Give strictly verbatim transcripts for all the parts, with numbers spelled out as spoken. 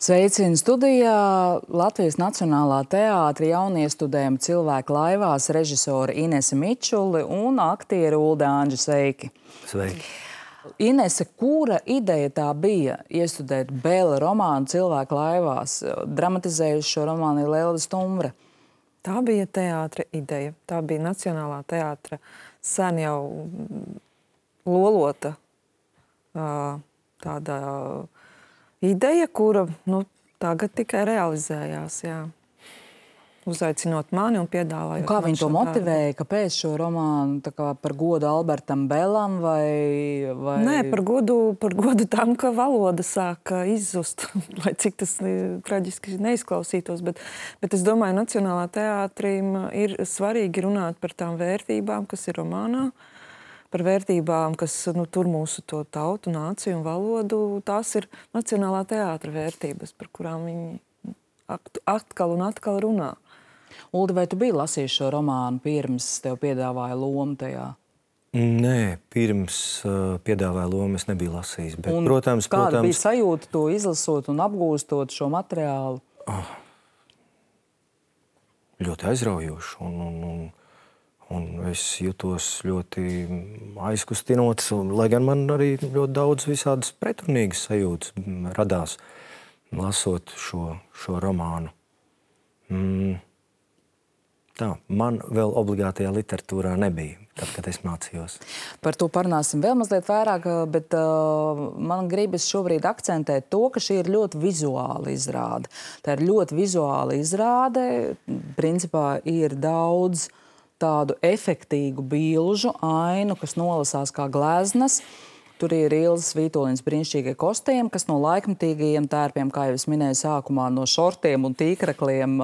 Sveicinu studijā Latvijas Nacionālā teātra jauniestudējuma cilvēku laivās režisori Inese Mičuli un aktieri Ulde Anģa. Sveiki! Sveiki! Inese, kura ideja tā bija iestudēt Bēla romānu cilvēku laivās? Dramatizējuši šo romānu ir Lelde Stumbre. Tā bija teātra ideja. Tā bija Nacionālā teātra sen jau lolota tāda ideja, kura nu, tagad tikai realizējās. Jā. Uzaicinot mani un piedāvājot. Un kā viņi to motivēja? Kāpēc šo romānu tā kā par godu Albertam Belam vai... vai... Nē, par godu, par godu tam, ka valoda sāka izzust, lai cik tas traģiski neizklausītos. Bet, bet es domāju, Nacionālā teātrim ir svarīgi runāt par tām vērtībām, kas ir romānā, par vērtībām, kas nu, tur mūsu to tautu, nāciju un valodu. Tās ir Nacionālā teātra vērtības, par kurām viņi atkal un atkal runā. Uldi, vai tu biji lasījis šo romānu pirms tev piedāvāja lomu tajā? Nē, pirms uh, piedāvāja lomu es nebiju lasījis. Bet, un protams, kāda protams, bija sajūta to izlasot un apgūstot šo materiālu? Oh, ļoti aizraujoši. Un, un, un, un es jutos ļoti aizkustinots, un, lai gan man arī ļoti daudz visādas pretrunīgas sajūtas radās, lasot šo, šo romānu. Mm. Tā, man vēl obligātajā literatūrā nebija, tad, kad es mācījos. Par to parunāsim vēl mazliet vairāk, bet uh, man gribas šobrīd akcentēt to, ka šī ir ļoti vizuāla izrāde. Tā ir ļoti vizuāla izrāde. Principā ir daudz tādu efektīgu bilžu, ainu, kas nolasās kā gleznas. Tur ir Ilzas Vītoliņas brīnišķīgie kostījumi, kas no laikmatīgajiem tērpiem, kā jau es minēju sākumā, no šortiem un tīkrakliem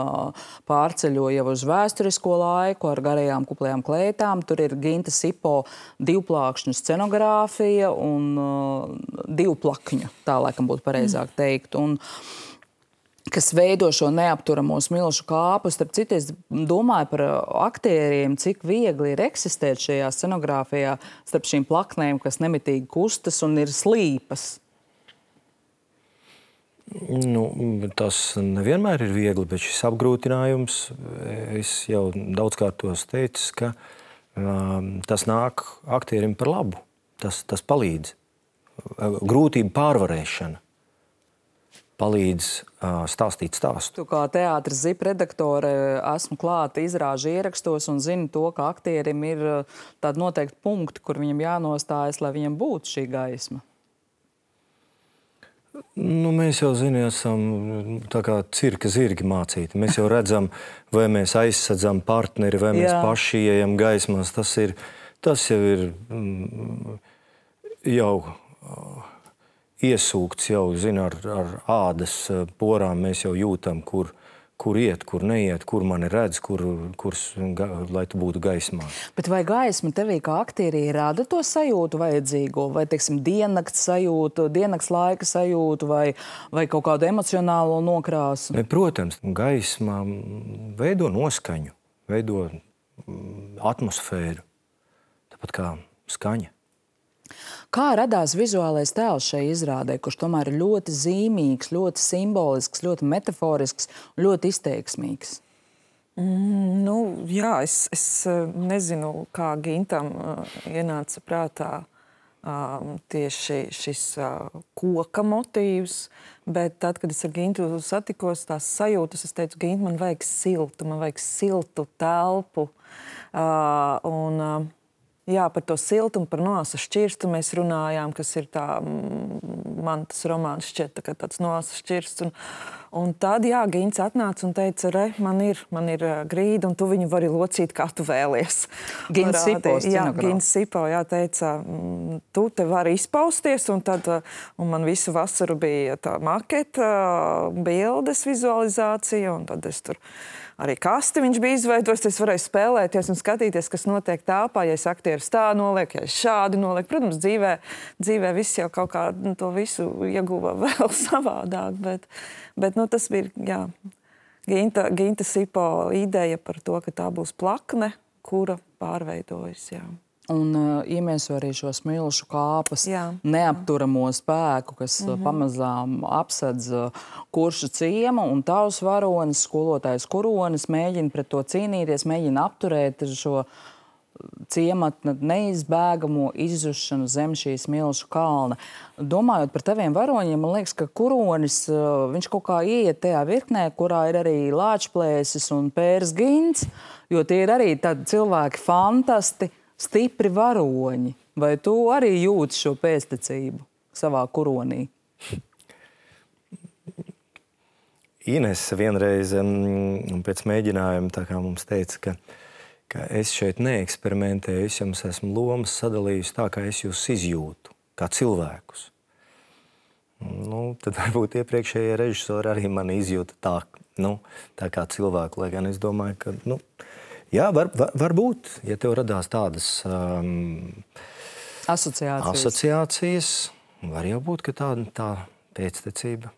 pārceļo jau uz vēsturisko laiku ar garajām kuplajām kleitām. Tur ir Ginta Sipo divplākšņu scenogrāfija un uh, divplakņu, tā laikam būtu pareizāk teikt. Un, kas veido šo neapturamo smilšu kāpu. Starp citu, es domāju par aktieriem, cik viegli ir eksistēt šajā scenogrāfijā starp šīm plaknēm, kas nemitīgi kustas un ir slīpas. Nu, tas nevienmēr ir viegli, bet šis apgrūtinājums, es jau daudzkārt tos teicu, ka um, tas nāk aktierim par labu. Tas, tas palīdz. Grūtību pārvarēšana palīdz uh, stāstīt stāstu. Tu kā teātras zip redaktore esmu klāta izrāžu ierakstos un zinu to, ka aktierim ir uh, tādi noteikti punkti, kur viņam jānostājas, lai viņam būtu šī gaisma. Nu, mēs jau zinām, esam tā kā cirka zirgi mācīti. Mēs jau redzam, vai mēs aizsadzam partneri, vai mēs paši ieejam gaismās. Tas ir, tas jau ir mm, jau... Uh, iesūkts jau, zina, ar, ar ādas porām mēs jau jūtam, kur, kur iet, kur neiet, kur mani redz, kur, kur, lai tu būtu gaismā. Bet vai gaisma tevī kā aktierī rada to sajūtu vajadzīgo? Vai, teiksim, diennakts sajūtu, diennakts laika sajūtu vai, vai kaut kādu emocionālo nokrāsu? Ne, protams, gaisma veido noskaņu, veido atmosfēru, tāpat kā skaņa. Kā radās vizuālais tēls šai izrādē, kurš tomēr ir ļoti zīmīgs, ļoti simbolisks, ļoti metaforisks, ļoti izteiksmīgs? Mm, nu, jā, es, es nezinu, kā Gintam uh, ienāca prātā uh, tieši šis uh, koka motīvs, bet tad, kad es ar Gintu satikos, tās sajūtas, es teicu, Gint, man vajag siltu, man vajag siltu telpu. Uh, un, uh, Jā, par to siltumu, par noasa šķirstu mēs runājām, kas ir tā, man tas romāns šķiet tā, tāds noasa šķirsts. Un, un tad, jā, Gints atnāca un teica, re, man ir, man ir grīda, un tu viņu vari locīt, kā tu vēlies. Gints Sipo, jā, Gints Sipo, jā, teica, tu te vari izpausties, un tad, un man visu vasaru bija tā maketa, bildes vizualizācija, un tad es tur arī kasti viņš bija izveidojis, es varēju spēlēties un skatīties, kas notiek telpā, ja es aktierus tā noliek, ja es šādi noliek. Protams, dzīvē, dzīvē viss jau kaut kā nu, to visu ieguva vēl savādāk, bet, bet nu, tas bija, jā, Ginta, Ginta Sipo ideja par to, ka tā būs plakne, kura pārveidojas, jā. Un uh, iemieso arī šo smilšu kāpas Jā. neapturamo spēku, kas mm -hmm. pamazām apsedz uh, Kuršu ciemu, un tavs varonis, skolotājs Kuronis, mēģina pret to cīnīties, mēģina apturēt šo ciemata neizbēgamo izzušanu zem šī smilšu kalna. Domājot par taviem varoņiem, man liekas, ka Kuronis, uh, viņš kaut kā ieiet tajā virknē, kurā ir arī Lāčplēsis un Pērs Gints, jo tie ir arī tādi cilvēki fantasti, stipri varoņi. Vai tu arī jūti šo pēctecību savā Kuronī? Inese vienreiz um, pēc mēģinājuma tā kā mums teica, ka, ka es šeit neeksperimentēju, es jums esmu lomas sadalījusi tā, kā es jūs izjūtu, kā cilvēkus. Nu, tad varbūt iepriekšējie režisori arī mani izjūta tā, nu, tā kā cilvēku, lai gan es domāju, ka, nu, jā, var, var, varbūt, ja tev radās tādas um, asociācijas. asociācijas, var jau būt, ka tā, tā pēctecība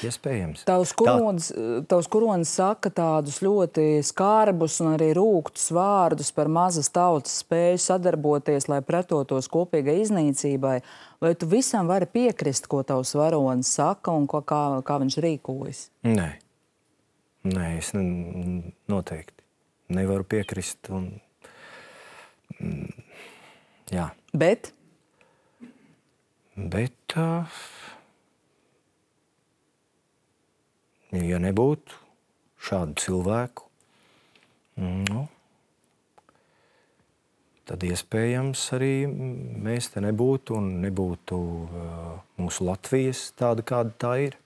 iespējams. Tavs Kuronis, tavs Kuronis saka tādus ļoti skarbus un arī rūgtus vārdus par mazas tautas spēju sadarboties, lai pretotos kopīgai iznīcībai. Vai tu visam vari piekrist, ko tavs varonis saka un ko, kā, kā viņš rīkojas? Nē. Nē, es ne, noteikti nevaru piekrist. Un, mm, jā. Bet? Bet, uh, ja nebūtu šādu cilvēku, nu, tad iespējams arī mēs te nebūtu un nebūtu uh, mūsu Latvijas tāda, kāda tā ir.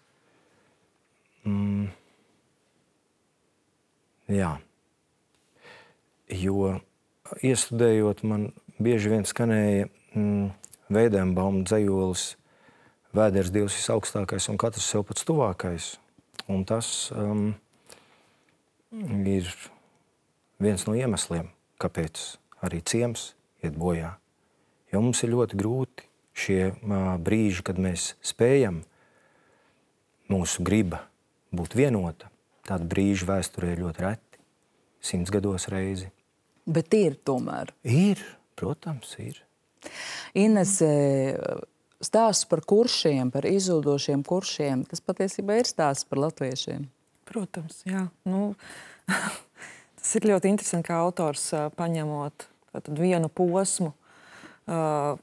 Mm. Jā. Jo iestudējot, man bieži vien skanēja mm, Veidenbauma dzejolis Vēders Dievs visaugstākais un katrs sev pats tuvākais. Un tas um, ir viens no iemesliem, kāpēc arī ciems iet bojā. Jo mums ir ļoti grūti šie uh, brīži, kad mēs spējam mūsu griba būt vienota. Tāda brīža vēsturē ir ļoti reti, simts gados reizi. Bet ir tomēr. Ir, protams, ir. Inese, stāsts par kuršiem, par izzudošiem kuršiem, tas patiesībā ir stāsts par latviešiem. Protams, jā. Nu, tas ir ļoti interesanti, kā autors uh, paņemot tātad vienu posmu uh,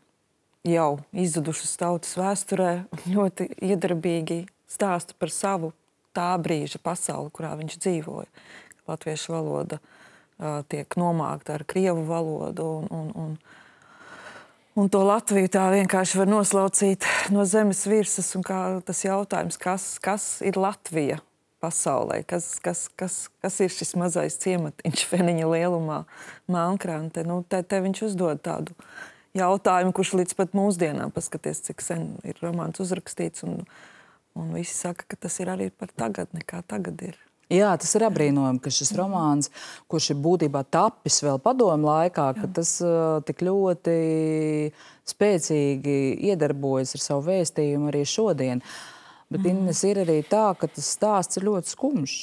jau izzudušas tautas vēsturē, ļoti iedarbīgi stāsta par savu tā brīža pasauli, kurā viņš dzīvoja. Latviešu valoda uh, tiek nomākta ar krievu valodu un, un, un, un to Latviju tā vienkārši var noslaucīt no zemes virsmas. Un kā tas jautājums, kas, kas ir Latvija pasaulē, kas, kas, kas, kas ir šis mazais ciematiņš Feniņa lielumā, Melnkrante. Nu, te, te viņš uzdod tādu jautājumu, kurš līdz pat mūsdienām, paskaties, cik sen ir romāns uzrakstīts, un Un visi saka, ka tas ir arī par tagadni, kā tagad ir. Jā, tas ir apbrīnojami, ka šis romāns, kurš ir būtībā tapis vēl padomu laikā, Jā. ka tas uh, tik ļoti spēcīgi iedarbojas ar savu vēstījumu arī šodien. Bet mm. Ines ir arī tā, ka tas stāsts ir ļoti skumjš.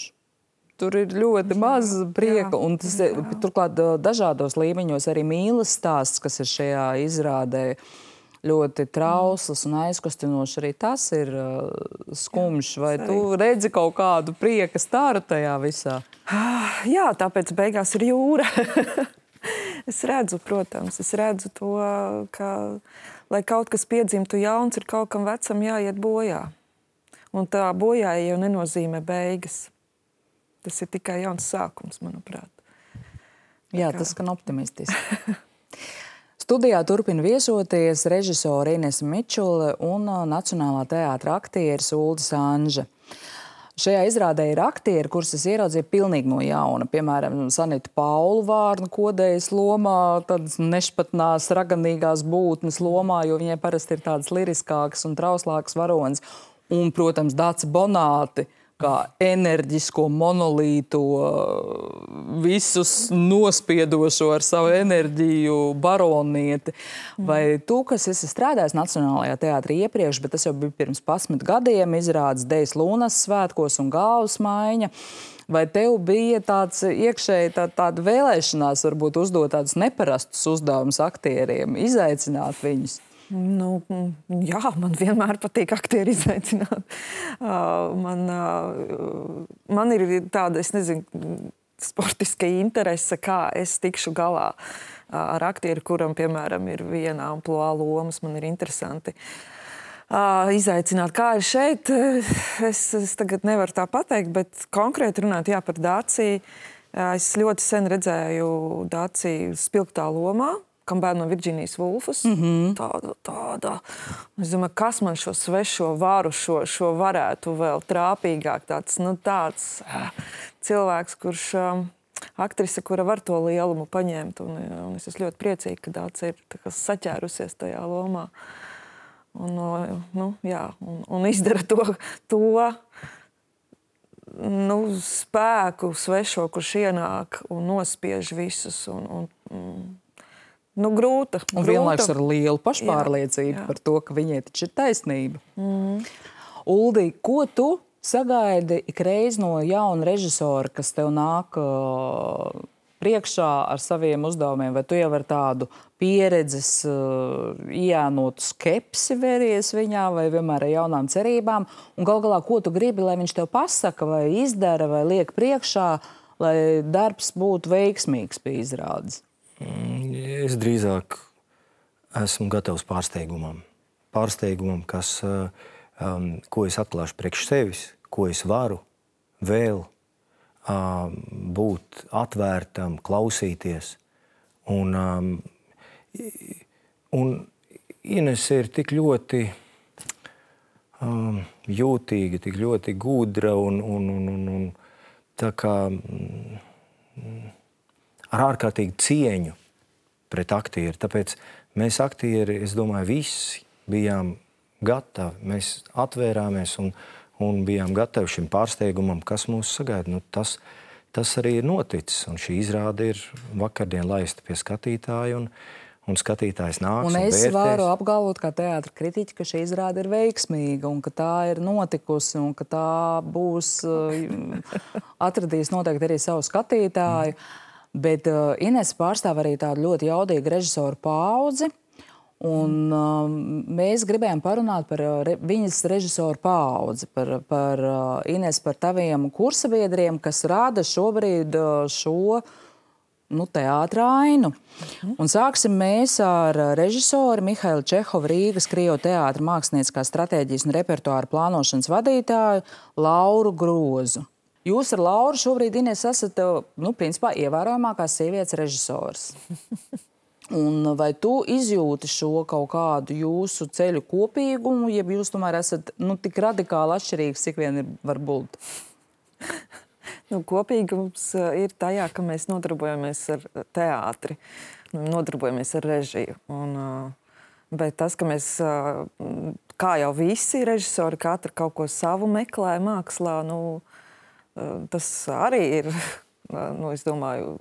Tur ir ļoti maz prieka, Jā. un tas ir, turklāt dažādos līmeņos arī mīlas stāsts, kas ir šajā izrādē, ļoti trausls un aizkustinošs. Arī tas ir uh, skumjš. Vai tu redzi kaut kādu prieka staru tajā visā? Jā, tāpēc beigās ir jūra. Es redzu, protams, es redzu to, ka, lai kaut kas piedzimtu jauns, ir kaut kam vecam jāiet bojā. Un tā bojāja jau nenozīmē beigas. Tas ir tikai jauns sākums, manuprāt. Jā, tas skan optimistiski. Studijā turpina viesoties režisore Inese Mičule un Nacionālā teātra aktieris Uldis Anža. Šajā izrādē ir aktieri, kurus es ieraudzīju pilnīgi no jauna. Piemēram, Sanitu Paulu Vārnu Kodējas lomā, tādas nešpatnās, raganīgās būtnes lomā, jo viņai parasti ir tādas liriskākas un trauslākas varonas. Un, protams, Daci Bonāti kā enerģisko monolītu, visus nospiedošo ar savu enerģiju baronieti. Vai tu, kas esi strādājis Nacionālajā teātrī iepriekš, bet tas jau bija pirms pasmit gadiem, izrādes Dejas Lūnas svētkos un Galvas maiņa, vai tev bija tāds iekšēji tā, tāda vēlēšanās varbūt uzdot tādus neparastus uzdevumus aktieriem, izaicināt viņus? Nu, jā, man vienmēr patīk aktieri izaicināt. Uh, man, uh, man ir tāda, es nezinu, sportiska interese, kā es tikšu galā uh, ar aktieri, kuram, piemēram, ir viena amplua lomas. Man ir interesanti uh, izaicināt, kā ir šeit. Es, es tagad nevaru tā pateikt, bet konkrēti runāt, jā, par Dāciju. Uh, es ļoti sen redzēju Dāciju spilgtā lomā, kam bērnu no Virģīnijas Vulfas. Mm-hmm. Tāda, tāda. Es domāju, kas man šo svešo varu, šo, šo varētu vēl trāpīgāk. Tāds, nu, tāds uh, cilvēks, kurš um, aktrise, kura var to lielumu paņemt. Un, un es esmu ļoti priecīga, ka Dāca ir tā kā saķērusies tajā lomā. Un, nu, jā, un, un izdara to, to nu, spēku svešo, kurš ienāk un nospiež visus. Un, un, un, Nu, grūta. Un grūta. vienlaikus ar lielu pašpārliecību jā, jā. par to, ka viņai taču ir taisnība. Mm. Uldi, ko tu sagaidi ikreiz no jauna režisora, kas tev nāk uh, priekšā ar saviem uzdevumiem? Vai tu jau ar tādu pieredzes, uh, iēnotu skepsi veries viņā, vai vienmēr ar jaunām cerībām? Un gal galā, ko tu gribi, lai viņš tev pasaka, vai izdara, vai liek priekšā, lai darbs būtu veiksmīgs pie izrādes? Es drīzāk esmu gatavs pārsteigumam. Pārsteigumam, kas, um, ko es atklāšu priekš sevis, ko es varu vēl um, būt atvērtam, klausīties. Un, um, un Inese ir tik ļoti um, jūtīga, tik ļoti gudra un, un, un, un, un tā kā... Mm, ar ārkārtīgi cieņu pret aktieru. Tāpēc mēs aktieri, es domāju, visi bijām gatavi. Mēs atvērāmies un, un bijām gatavi šim pārsteigumam, kas mūs sagaida. Nu, tas, tas arī ir noticis. Un šī izrāde ir vakardien laista pie skatītāja, un, un skatītājs nāks un, un es vērtēs. varu apgalvot kā teātra kritiķi, ka šī izrāde ir veiksmīga un ka tā ir notikusi un ka tā būs atradīs noteikti arī savu skatītāju. Mm. Bet uh, Inese pārstāv arī tādu ļoti jaudīgu režisoru paudzi, un uh, mēs gribējām parunāt par uh, re, viņas režisoru paudzi, par, par uh, Inese, par taviem kursabiedriem, kas rāda šobrīd uh, šo nu, teātra ainu. Mhm. Un sāksim mēs ar režisoru Mihailu Čehovu, Rīgas Krievu teātra mākslinieckās stratēģijas un repertuāra plānošanas vadītāju Lauru Grozu. Jūs ar Lauru šobrīd, Ines, esat, nu, principā, ievērojamākās sievietes režisors. Un vai tu izjūti šo kaut kādu jūsu ceļu kopīgumu, jeb jūs tomēr esat, nu, tik radikāli atšķirīgs, cik vien ir var būt? Nu, kopīgums ir tajā, ka mēs nodarbojamies ar teātri, nodarbojamies ar režiju. Un, bet tas, ka mēs, kā jau visi režisori, katra kaut ko savu meklē mākslā, nu, tas arī ir, nu, es domāju,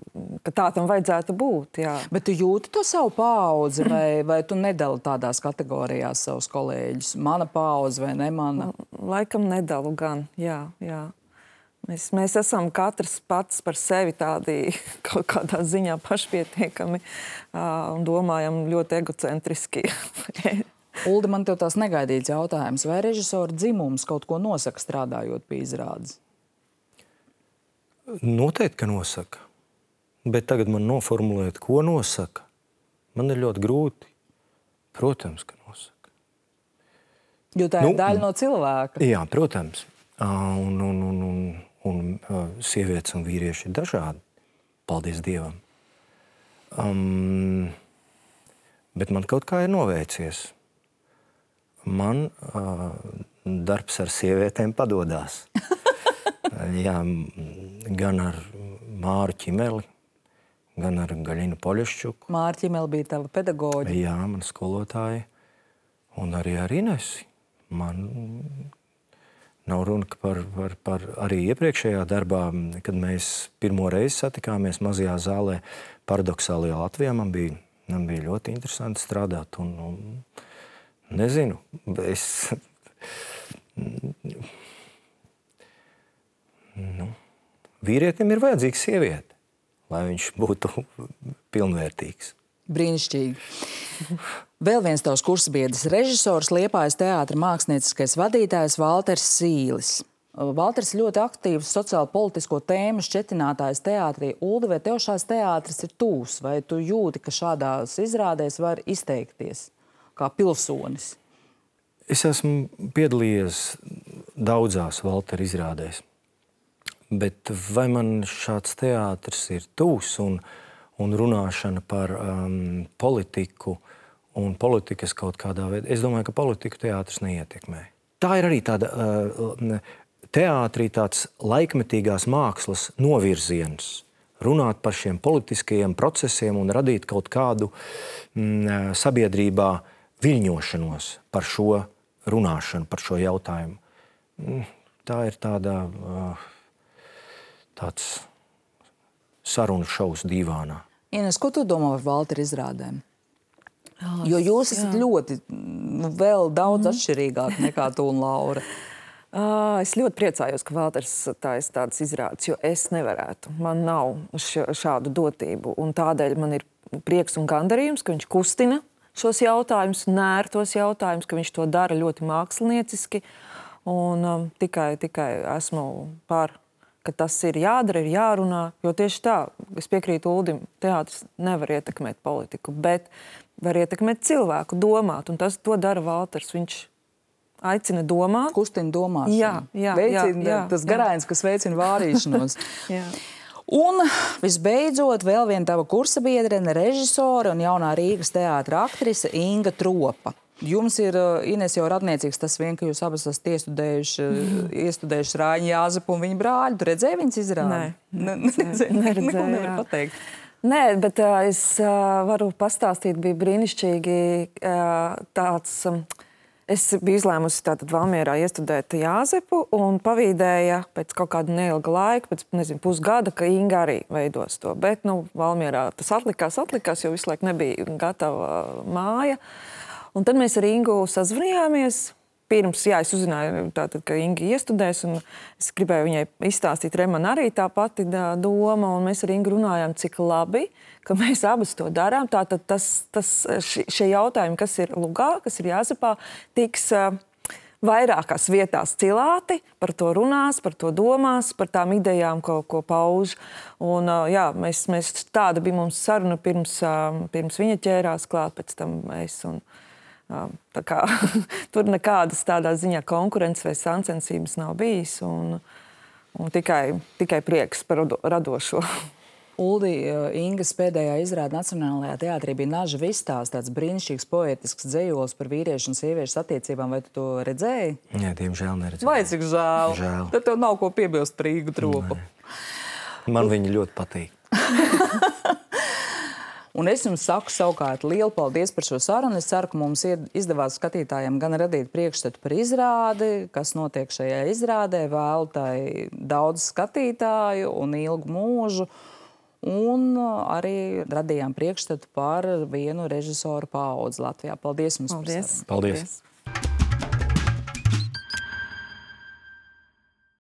ka tā tam vajadzētu būt, jā. Bet tu jūti to savu paudzi, vai, vai tu nedali tādās kategorijās savus kolēģus? Mana paudze vai ne mana? Laikam nedalu gan, jā, jā. Mēs, mēs esam katrs pats par sevi tādi kaut kādā ziņā pašpietiekami un domājam ļoti egocentriski. Uldi, man tev tās negaidīts jautājums. Vai režisora dzimums kaut ko nosaka strādājot pie izrādes? Noteikti, ka nosaka. Bet tagad man noformulēt, ko nosaka, man ir ļoti grūti. Protams, ka nosaka. Jo tā ir nu, daļa no cilvēka. Jā, protams. Un, un, un, un, un sievietes un vīrieši ir dažādi. Paldies Dievam. Um, bet man kaut kā ir noveicies. Man uh, darbs ar sievietēm padodās. Jā, gan ar Māru Ķimeli, gan ar Gaļinu Poļeščuku. Māra Ķimeli bija tava pedagoģa. Jā, man skolotāja. Un arī ar Inesi. Man Nav runa par, par, par arī iepriekšējā darbā, kad mēs pirmo reizi satikāmies mazajā zālē paradoxālajā Latvijā. Man bija, man bija ļoti interesanti strādāt. Un, un nezinu, es... Nu, vīrietim ir vajadzīga sieviete, lai viņš būtu pilnvērtīgs. Brīnišķīgi. Vēl viens tavs kursbiedrs, režisors, Liepājas teātra mākslinieckais vadītājs Valters Sīlis. Valters ļoti aktīvs sociāli politisko tēmu šķetinātājs teātrī. Uldi, vai tev šās teātris ir tūs? Vai tu jūti, ka šādās izrādēs var izteikties kā pilsonis? Es esmu piedalījies daudzās Valtera izrādēs. Bet vai man šāds teātris ir tūs un un runāšana par um, politiku un politikas kaut kādā veidā. Es domāju, ka politiku teātris neietekmē. Tā ir arī tāda uh, teātrī tāds laikmetīgās mākslas novirziens. Runāt par šiem politiskajiem procesiem un radīt kaut kādu mm, sabiedrībā viļņošanos par šo runāšanu, par šo jautājumu. Tā ir tāda, uh, tāds sarunu šovs dīvānā. Ines, ko tu domā par Valtera izrādēm? Oh, jo jūs esat jā. ļoti, nu, vēl daudz mm. atšķirīgāk nekā tu un Laura. Uh, es ļoti priecājos, ka Valters taisa tādas izrādes, jo es nevarētu. Man nav š, šādu dotību. Un tādēļ man ir prieks un gandarījums, ka viņš kustina šos jautājumus, mēr tos jautājumus, ka viņš to dara ļoti mākslinieciski. Un um, tikai, tikai esmu par... ka tas ir jādara, ir jārunā, jo tieši tā, es piekrītu Uldim, teātris nevar ietekmēt politiku, bet var ietekmēt cilvēku, domāt, un tas to dara Valters. Viņš aicina domāt. Kustina domāšanu. Jā, jā, veicina, jā, jā, tas jā. garāins, kas veicina vārīšanos. jā. Un visbeidzot, vēl viena tava kursa biedrene, režisore un jaunā Rīgas teātra aktrise Inga Tropa. Jums ir, Ines, jau radniecīgs tas vien, ka jūs abas esat iestudējuši, mm. iestudējuši Rāņu Jāzepu un viņa brāļu. Tu redzēji viņas izrādi? Nē. Neredzēju. Neko nevar pateikt. Nē, bet uh, es uh, varu pastāstīt, bija brīnišķīgi uh, tāds... Um, es biju izlēmusi tātad Valmierā iestudēt Jāzepu un pavīdēja pēc kaut kāda neilga laika, pēc, nezinu, pusgada, ka Inga arī veidos to. Bet, nu, Valmierā tas atlikās, atlikās, jo visu laiku nebija gatava māja. Un tad mēs ar Ingu sazvanījāmies. Pirms, jā, es uzzināju, tātad, ka Inga iestudēs, un es gribēju viņai izstāstīt, re, man arī tā pati doma, un mēs ar Ingu runājām, cik labi, ka mēs abas to darām. Tātad tas, tas, šie jautājumi, kas ir Lugā, kas ir Jāzepā, tiks uh, vairākās vietās cilāti, par to runās, par to domās, par tām idejām, ko, ko pauž. Un, uh, jā, mēs, mēs, tāda bija mums saruna pirms, uh, pirms viņa ķērās klāt, pēc tam mēs un... Tā kā, tur nekādas tādā ziņā konkurences vai sacensības nav bijis, un, un tikai, tikai prieks par radošo. Uldi, Ingas pēdējā izrāde Nacionālajā teātrī bija Naža Vistās, tāds brīnišķīgs poetisks dzejols par vīriešu un sieviešu attiecībām. Vai tu to redzēji? Nē, diemžēl neredzēju. Vai cik žēl? Žēl. Tad tev nav ko piebilst par Ingu Tropu. Man viņa ļoti patīk. Un es jums saku savukārt lielu paldies par šo sarunu. Es ceru, ka mums izdevās skatītājiem gan radīt priekšstatu par izrādi, kas notiek šajā izrādē, vēlu tai daudz skatītāju un ilgu mūžu. Un arī radījām priekšstatu par vienu režisoru paudzi Latvijā. Paldies jums paldies. par sarunu. Paldies. paldies.